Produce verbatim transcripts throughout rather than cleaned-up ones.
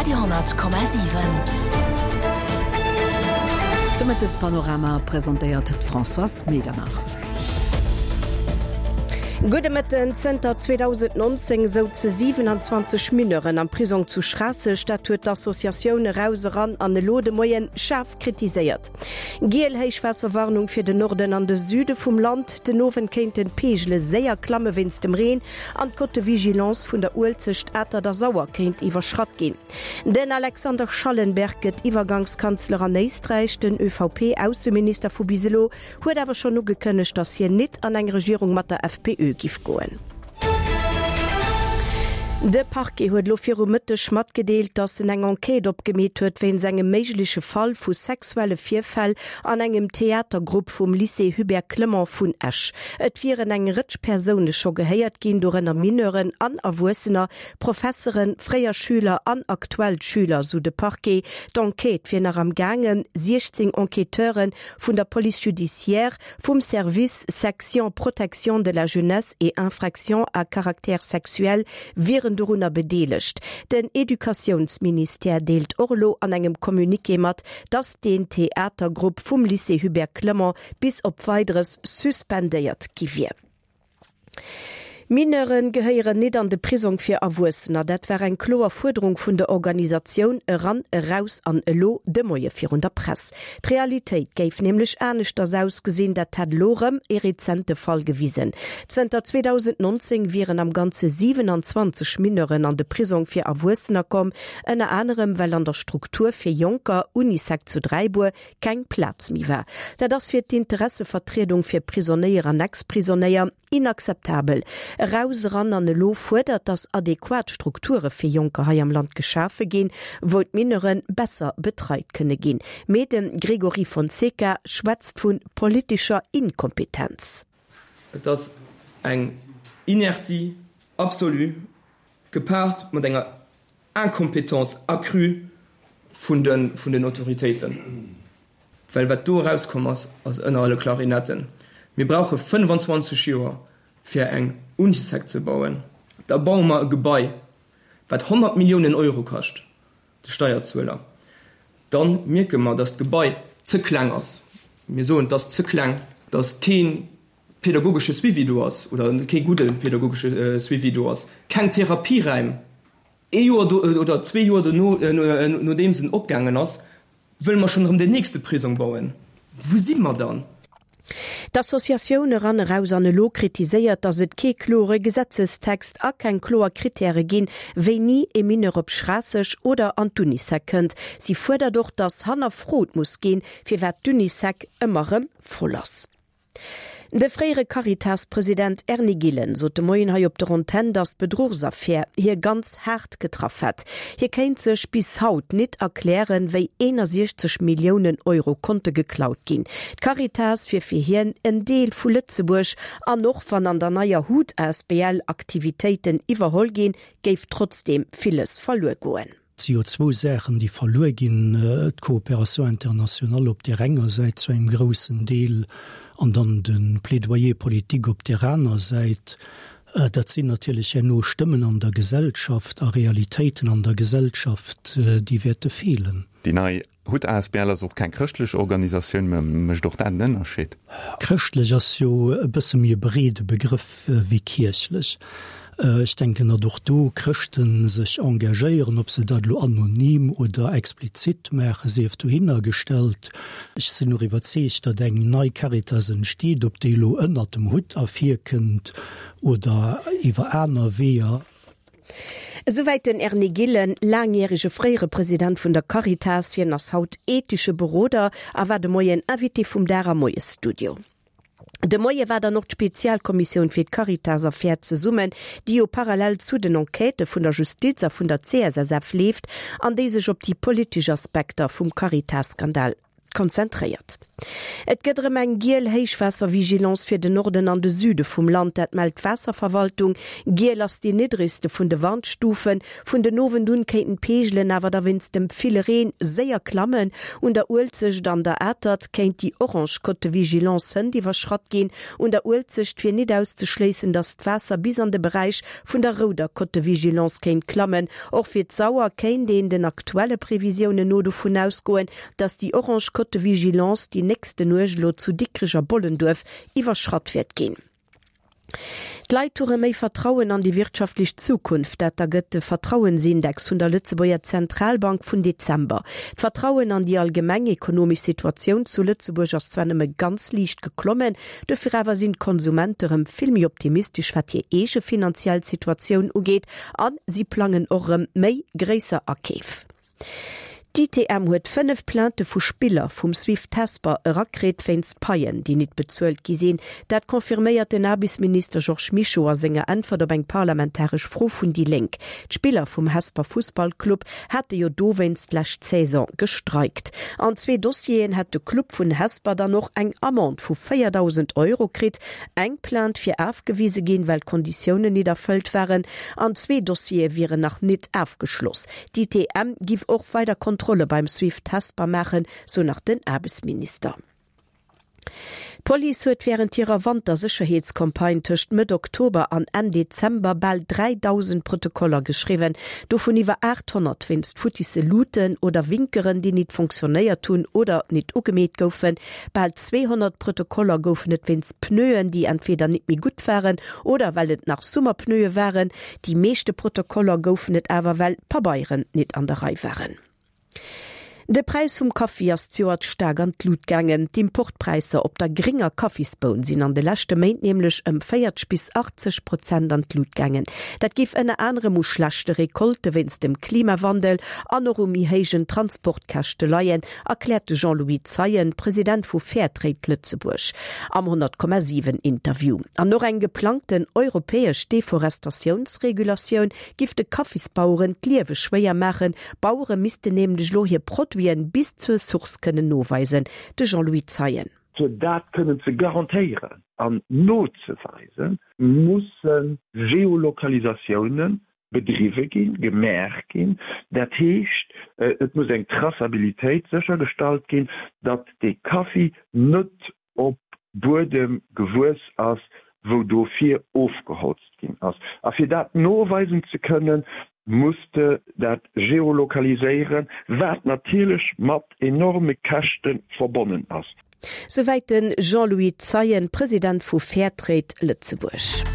Radio honnert Komma siwen. De Mëttespanorama presentéiert d'Françoise Medernach. Gudde Mëtten. Zënter zweedausendnonzéng souze siwenanzwanzeg Mineuren am Prisong zu Schraasseg. Dat huet d'Associatioun Eraus Eran an Elo de Moien schaarf kritiséiert. Giel Héichwaasserwarnung fir den Norden an de Süde vum Land. Den Owend kéinten d'Peegele séier klamme wéinst dem Reen an d'Cote de vigilance vun der Uelzecht, Atert a Sauer kéint iwwerschratt ginn. Den Alexander Schallenberg gëtt Iwwergangskanzler an Éisträich. Den ÖVP-Ausseminister vu bis elo huet awer schonn ugekënnegt, datt hien nit an eng Regierung mat der F P Ö giff goen. De Parquet huet elo viru Mëtteg matgedeelt, datt en eng Enquête opgemeet huet wéinst engem méigleche Fall vu sexuelle Virfäll an engem Theatergrupp vum Lycée Hubert Clement vun Esch. Et wieren eng Rëtsch Persoune scho gehéiert ginn, dorënner Mineuren an Erwuessener, Professeren, fréier Schüler an aktuell Schüler, sou de Parquet. D'Enquête wier nach am gaangen. siechzéng Enquêteure vun der Police judiciaire, vum Service Section Protection de la jeunesse et infractions à caractère sexuel wieren dorunner bedeelegt. Den Educatiounsministère deelt och elo an engem Communiqué mat, datt den Theatergrupp vum Lycée Hubert Clement bis op Weideres suspendéiert gi wier. Mineuren gehéieren nit an de Prisong fir Erwuessener. Dat war eng kloer Fuerderung vun der Organisatioun Eran, Eraus an Elo de Moie virun der Press. D'Realitéit géif nämlech aneschters ausgesinn, dat hätt elo rëm e rezente Fall gewisen. Zënter zweedausendnonzéng wieren am Ganze siwenanzwanzeg Mineuren an de Prisong fir Erwuessener komm, ënner anerem well an der Struktur fir Jonker Unisec zu Dräibuer keng Plaz méi war. Dat ass fir d'Interessevertriedung fir Prisonéier an Ex-Prisonéier inakzeptabel. Eraus, Eran an Elo fuerdert, datt adequat Strukture fir Jonker hei am Land geschafe ginn, wou d'Mineure besser betreit kënne ginn. Mee de Gregory Fonseca schwätzt vu politescher Inkompetenz. Et ass eng Inertie absolue gepaart mat enger Incompétence accrue vun de vun den Autoritéiten. Well wat do erauskomm ass, ass ënner alle Klarinetten. Mir brauche fënnefanzwanzeg Joer fir eng Unisec ze bauen. Da baue mer e Gebai, wat honnert Milliounen Euro kascht, de Steierzueler. Dann mierke mer, datt d'Gebai ze kleng ass. Mir soen, et ass ze kleng, datt kee pädagogesche Suivi do ass oder kee gudde pädagogesche Suivi do ass, keng Therapieräim. Ee Joer do oder zwee Joer dono, nodeems en opgaangen ass, wëlle mer schonn erëm den nächste Prisong bauen. Wou si mer dann? D'Associatioun Eran Eraus an Elo kritiséiert, datt et kee klore Gesetzestext a keng kloer Krittäre ginn, wéini e Mineur op Schraasseg oder an d'Unisec kënnt. Si fuerdert och, datt hannerfrot muss ginn, firwat d'Unisec ëmmer erëm voll ass. De fréiere Caritas-President Erny Gillen sot de Moien hei op der Antenn, datt d'Bedruchsaffär hie ganz haart getraff hätt. Hie kéint sech bis haut nit erklären, wéi eenasiechzeg Milliounen Euro konnte geklaut ginn. D'Caritas wier fir hien en Deel vu Lëtzebuerg an och wann an der neier HUT A S B L Aktivitéiten iwwerholl ginn, géif trotzdeem villes verluer goen. Et si jo zwou Saachen, déi verluer ginn, d'Coopération internationale op där enger Säit zu engem groussen Deel an dann de Plaidoyer politique op där aner Säit. Dat sinn natierlech herno Stëmmen an der Gesellschaft a Realitéiten an der Gesellschaft, déi wäerte feelen. Déi nei HUT A S B L ass och keng chrëschtlech Organisatioun, mä mécht och dat en Ënnerscheed? Chrëschtlech ass jo e bësse méi e breede Begrëff wéi kierchlech. Ech denken, datt och do Chrëschte sech engagéieren, ob se dat elo anonym oder explizit maachen, sief dohinner gestallt. Ech sinn och iwwerzeegt, datt eng nei Caritas entsteet, ob déi elo ënnert dem Hutt ervirkënnt oder iwwer aner Weeër. Esouwäit den Erny Gillen, laangjärege fréiere President vun der Caritas. Hien ass haut ethesche Beroder a war de Moien Invité vum Dag am Moiesstudio. De Moie war dann och d'Spezialkommissioun fir d'Caritas-Affär zesummen, déi jo parallel zu den Enquêtë vun der Justiz a vun der C S S F leeft an déi sech op déi politesch Aspekter vum Caritas-Skandal konzentréiert. Et gëtt erëm eng giel Héichwaasservigilance fir den Norden an de Süde vum Land, dat mellt d'Waasserverwaltung. Giel ass déi niddregste vun de Warnstufen. Vun den Owend un kéinten d'Peegelen awer da wéinst dem ville Reen séier klammen. Un der Uelzecht an der Atert kéint déi orange Cote de vigilance hënt iwwerschratt ginn. Un der Uelzecht wier nit auszeschléissen, datt d'Waasser bis an de Beräich vun der rouder Cote de vigilance kéint klammen. Och fir d'Sauer kéint een den aktuelle Previsiounen no dovun ausgoen, datt déi orange Cote de vigilance déi nächste Nuecht elo zu Dikrech a Bollenduerf iwwerschratt wäert ginn. D'Leit hu rëm méi Vertrauen an déi wirtschaftlech Zukunft, dat ergëtt de Vertrauensindex vun der Lëtzebuerger Zentralbank vun Dezember. D'Vertrauen an déi allgemeng ekonomesch Situatioun zu Lëtzebuerg ass zwar nëmme ganz liicht geklommen, dofir awer sinn d'Konsumente rëm vill méi optimistesch wat hir eege finanziell Situatioun ugeet a si plangen och rëm méi gréisser Akeef. D'ITM huet fënnef Plainte vu Spiller vum Swift Hesper erakritt wéinst Paien, déi nit bezuelt gi sinn. Dat confirméiert den Aarbechtsminister Georges Mischo a senger Äntwert op eng parlamentaresch Fro vun déi Lénk. D'Spiller vum Hesper Fussballclub hate jo dowéinst d'lescht Saison gestreikt. An zwee Dossieren hätt de Club vun Hesper dann och eng Amende vu véierdausend Euro kritt. Eng Plainte wier afgewise ginn, well d'Konditiounen nit erfëllt waren, an zwee Dossiere wieren nach nit afgeschloss. D'ITM giff och weider Kontrolle beim Swift Hesper maachen, sou nach den Aarbechtsminister. D'Police huet wärend hirer Wantersécherheetscampagne tëscht Mëtt Oktober an Enn Dezember bal dräidausend Protokoller geschriwwen, dovun iwwer aathonnert wéinst futtisse Luuten oder Winkeren, déi nit funktionéiert hunn oder nit ugemeet goufen. Bal zweehonnert Protokoller goufen et wéinst Pneuen, déi entweder nit méi gutt waren oder well et nach Summerpneue waren. Déi meeschte Protokoller goufen et awer well Pabeieren nit an der Rei waren. De Präis vum Kaffi ass zejoert staark an d'Lut gaangen. D'Importpräisser op der gringer Kaffisboun sinn an de leschte Méint nämlech ëm véierzeg bis achtzeg Prozent an d'Lut gaangen. Dat géif ënner anerem u schlechte Recolte wéinst dem Klimawandel an och u méi héijen Transportkäschte leien, erkläert de Jean-Louis Zeien, President vu Fairtrade Lëtzebuerg, am honnert Komma siwen Interview. An och eng geplangten europäesch Deforestatiounsregulatioun giff de Kaffisbaueren d'Liewe schwéier maachen. Bauere missten nämlech elo hir Produiten bis zur Source kënnen noweisen. De Jean-Louis Zeien. Fir dat kënnen ze garantéieren an nozeweisen, musse Geolokalisatioune bedriwwe ginn, gemaach ginn. Dat heescht, et muss eng Traçabilitéit séchergestallt ginn, datt dee Kaffi net op Buedem gewuess ass, wou dofir ofgeholzt ginn ass. A fir dat noweisen ze kënnen, muss de dat geolokaliséieren, wat natierlech mat enorme Käschte verbonnen ass. Souwäit de Jean-Louis Zeien, President vu Fairtrade Lëtzebuerg.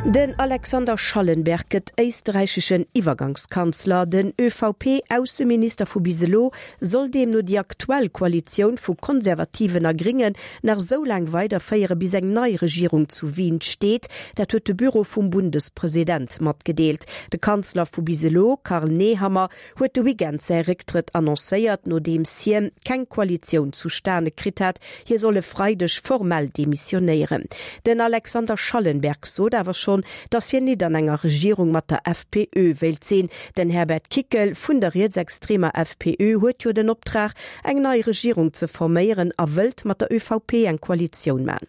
Den Alexander Schallenberg gëtt éisträicheschen Iwwergangskanzler. Den ÖVP-Ausseminister vu bis elo soll deemno déi aktuell Koalitioun vu Konservativen a Gringen nach sou laang weiderféiere bis eng nei Regierung zu Wien steet. Dat huet de Büro vum Bundespresident matgedeelt. De Kanzler vu bis elo, Karl Nehammer, huet de Weekend säi Récktrëtt annoncéiert, nodeems hien keng Koalitioun zustane kritt hat. Hie soll e Freideg formell demissionéieren. Den Alexander Schallenberg sot awer schonn, datt hien nit an enger Regierung mat der FPÖ wéilt sinn. Den Herbert Kickl vun der rietsextremer FPÖ huet jo den Optrag, eng nei Regierung ze forméieren a wëllt mat der ÖVP eng Koalitioun man.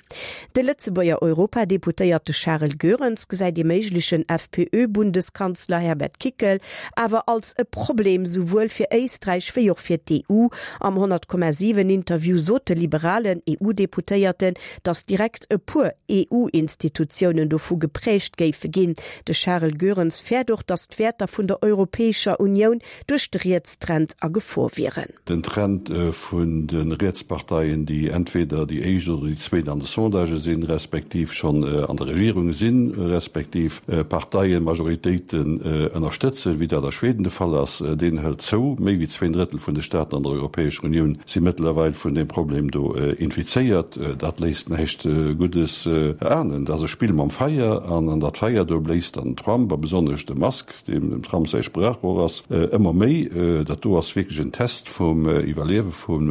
De Lëtzebuerger Europadeputéierte Charel Goerens gesäit ee méiglechen FPÖ-Bundeskanzler Herbert Kickl awer als e Problem souwuel fir Éisträich wéi och fir d'EU. Am honnert Komma siwen Interview sot de liberalen EU-Deputéierten, datt direkt e puer EU-Institutiounen dovu geprägt géife ginn. De Charel Goerens fäert och, datt d'Wäerter vun der Europäescher Unioun duerch de Rietstrend a Gefor wieren. Den Trend vun de Rietsparteien, déi entweder déi éischt oder déi zweet an de Sondagë sinn, respektiv schonn an der Regierung sinn, respektiv Parteien, Majoritéiten ënnerstëtzen, wéi dat a Schweden de Fall ass, deen hëlt zou. Méi wéi zween Drëttel vun de Staaten an der Europäescher Unioun si mëttlerweil vun deem Problem do infizéiert. Dat léisst näischt Guddes erahnen. Dat ass e Spill mam Feier an an dat Feier do bléist dann den Trump a besonnesch de Musk, deem dem Trump säi Sprachrohr ass, ëmmer méi. Dat do ass wierklech en Test vum Iwwerliewe vun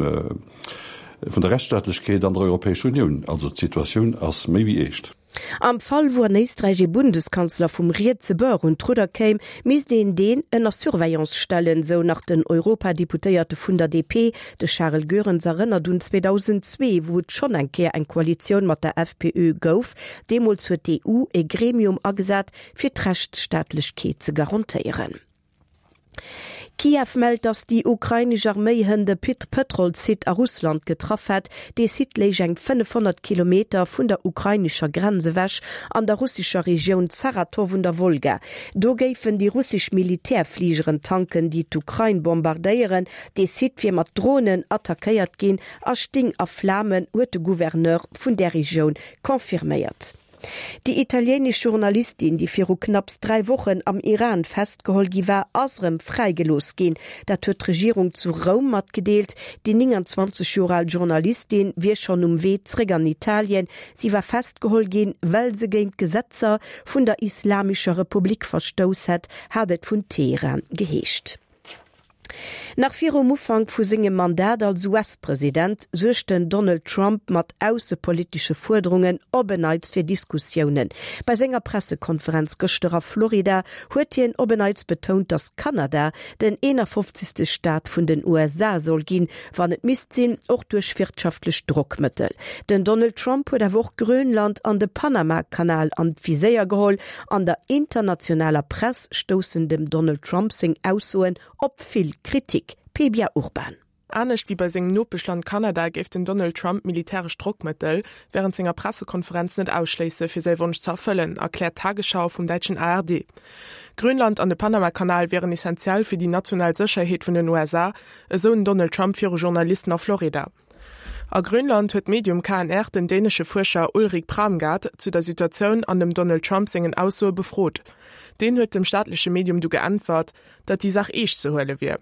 der Rechtsstaatlechkeet an der Europäescher Unioun. Also d'Situatioun ass méi wéi eescht. Am Fall wou an Éisträich ee Bundeskanzler vum rietse Bord un d'Rudder kéim, misst een deen ënner Surveillance stellen, sou nach den Europadeputéierte vun der D P. De Charel Goerens erënnert un zweedausendzwee, wou et schonn eng Kéier eng Koalitioun mat der F P Ö gouf. Deemools huet d'E U e Gremium agesat, fir d'Rechtsstaatlechkeet ze garantéieren. Kiew mellt, datt déi ukrainesch Arméi hënt e Pëtrolssite a Russland getraff hätt. Dee Site léich eng fënnefhonnert Kilometer vun der ukrainescher Grenz ewech an der russescher Regioun Saratow un der Wolga. Do géifen déi russesch Militärfligeren tanken, déi d'Ukrain bombardéieren. Dee Site wier mat Dronen attackéiert ginn a sting a Flamen, huet de Gouverneur vun där Regioun confirméiert. Déi italienesch Journalistin, déi viru knapps dräi Wochen am Iran festgeholl gi war, ass erëm fräigelooss ginn. Dat huet d'Regierung zu Roum matgedeelt. Déi nénganzwanzeg Joer al Journalistin wier schonn um Wee zréck an Italien. Si war festgeholl ginn, well se géint d'Gesetzer vun der Islamescher Republik verstouss hätt, hat et vun Teheran geheescht. Nach virum Ufank vu sengem Mandat als U S-President suergt den Donald Trump mat aussepolitesche Fuerderungen op en Neits fir Diskussiounen. Bei senger Pressekonferenz gëschter a Florida huet hien op en Neits betount, datt Kanada den eenafofzegste Staat vun den U S A soll ginn, wann et misst sinn, och duerch wirtschaftlech Drockmëttel. Den Donald Trump huet awer och Grönland an de Panama-Kanal an d'Viséier geholl. An der internationaler Press stoussen dem Donald Trump seng Aussoen op vill Kritik. Pebia Urban. Anescht wéi bei sengem Nopeschland Kanada géif den Donald Trump militäresch Drockmëttel wärend senger Pressekonferenz net ausschléisse fir säi Wonsch ze erfëllen, erkläert d'Tagesschau vum däitschen A R D. Grönland an de Panama-Kanal wieren essenziell fir déi national Sécherheet vun den U S A, esou den Donald Trump viru Journalisten a Florida. A Grönland huet d'Medium K N R den dänesche Fuerscher Ulrik Pramgaard zu der Situatioun an dem Donald Trump sengen Aussoe befrot. Deen huet dem staatleche Medium du geäntwert, datt déi Saach eescht ze huele wier.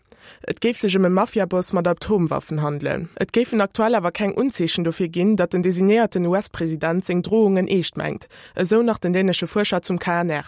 Et géif sech ëm e Mafiaboss mat Atomwaffen handelen. Et géifen aktuell awer keng Unzeechen dofir ginn, datt den designéierten U S-President seng Drohungen eescht mengt, esou nach den dänesche Fuerscher zum K N R.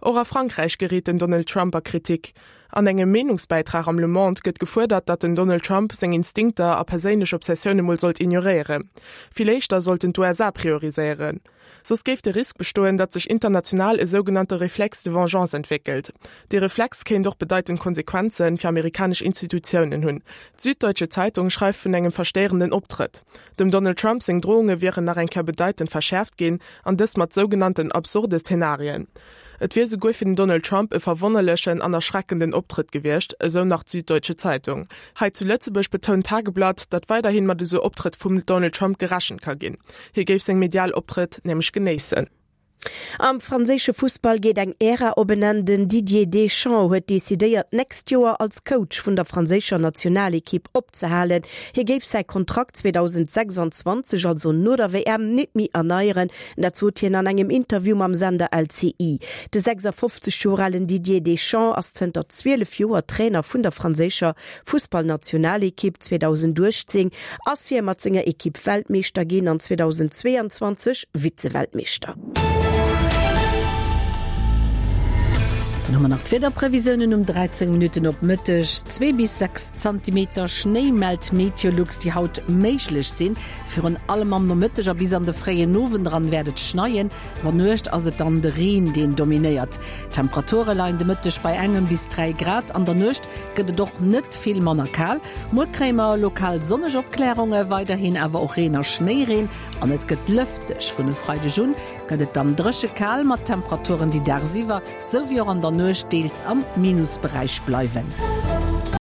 Och a Frankräich geréit den Donald Trump a Kritik. An engem Meenungsbäitrag am Le Monde gëtt gefuerdert, datt den Donald Trump seng Instinkter a perséinlech Obsessioune mol sollt ignoréieren. Vill éischter sollten d'U S A prioriséieren. Soss géif de Risk bestoen, datt sech international e sougenannte Réflexe de vengeance entwéckelt. De Reflex kéint och bedeitend Konsequenze fir amerikanesch Institutiounen hunn. D'Süddeutsche Zeitung schreift vun engem verstéierenden Optrëtt. Dem Donald Trump seng Drohunge wieren nach eng Kéier bedeitend verschäerft ginn an dëst mat sougenannten absurde Szenarien. Et wier souguer fir den Donald Trump e verwonnerlechen an erschreckenden Optrëtt gewiescht, esou nach d'Süddeutsche Zeitung. Hei zu Lëtzebuerg betount d'Tageblatt, datt weiderhi mat esou Optrëtt vum Donald Trump gerechent ka ginn. Hie géif seng medial Optrëtt nämlech genéissen. Am franséische Fussball geet eng Ära op en Enn. Den Didier Deschamps huet decidéiert, d'nächst Joer als Coach vun der franséischer Nationalekipp opzehalen. Hie géif säi Kontrakt zweedausendsechsanzwanzeg, also no der W M, net méi erneieren. Dat sot hien an engem Interview mam Sender L C I. De sechsafofzeg Joer alen Didier Deschamps ass zënter zwielef Joer Trainer vun der franséischer Fussballnationalekipp. zweedausenduechtzéng ass hie mat senger Ekipp Weltmeeschter ginn an zweedausendzweeanzwanzeg Vize-Weltmeeschter. Dann hu mer nach d'Wiederprevisiounen um dräizéng Minutten op Mëtteg. Zwee bis sechs Zentimeter Schnéi mellt Meteolux, déi haut méiglech sinn. Virun allem am Nomëtteg a bis an de fréien Owend eran wäert et schneien. An der Nuecht ass et dann de Reen, deen dominéiert. D'Temperature leien de Mëtteg bei engem bis dräi Grad. An der Nuecht gëtt et och net vill manner kal. Muer kréie mer lokal sonneg Opklärunge, weiderhin awer och Reen a Schnéireen an et gëtt lëfteg. Vun e Freideg un gëtt et dann dréche kal mat Temperaturen, déi dagsiwwer sou wéi och an der Nuecht deels am Minusberäich bleiwen.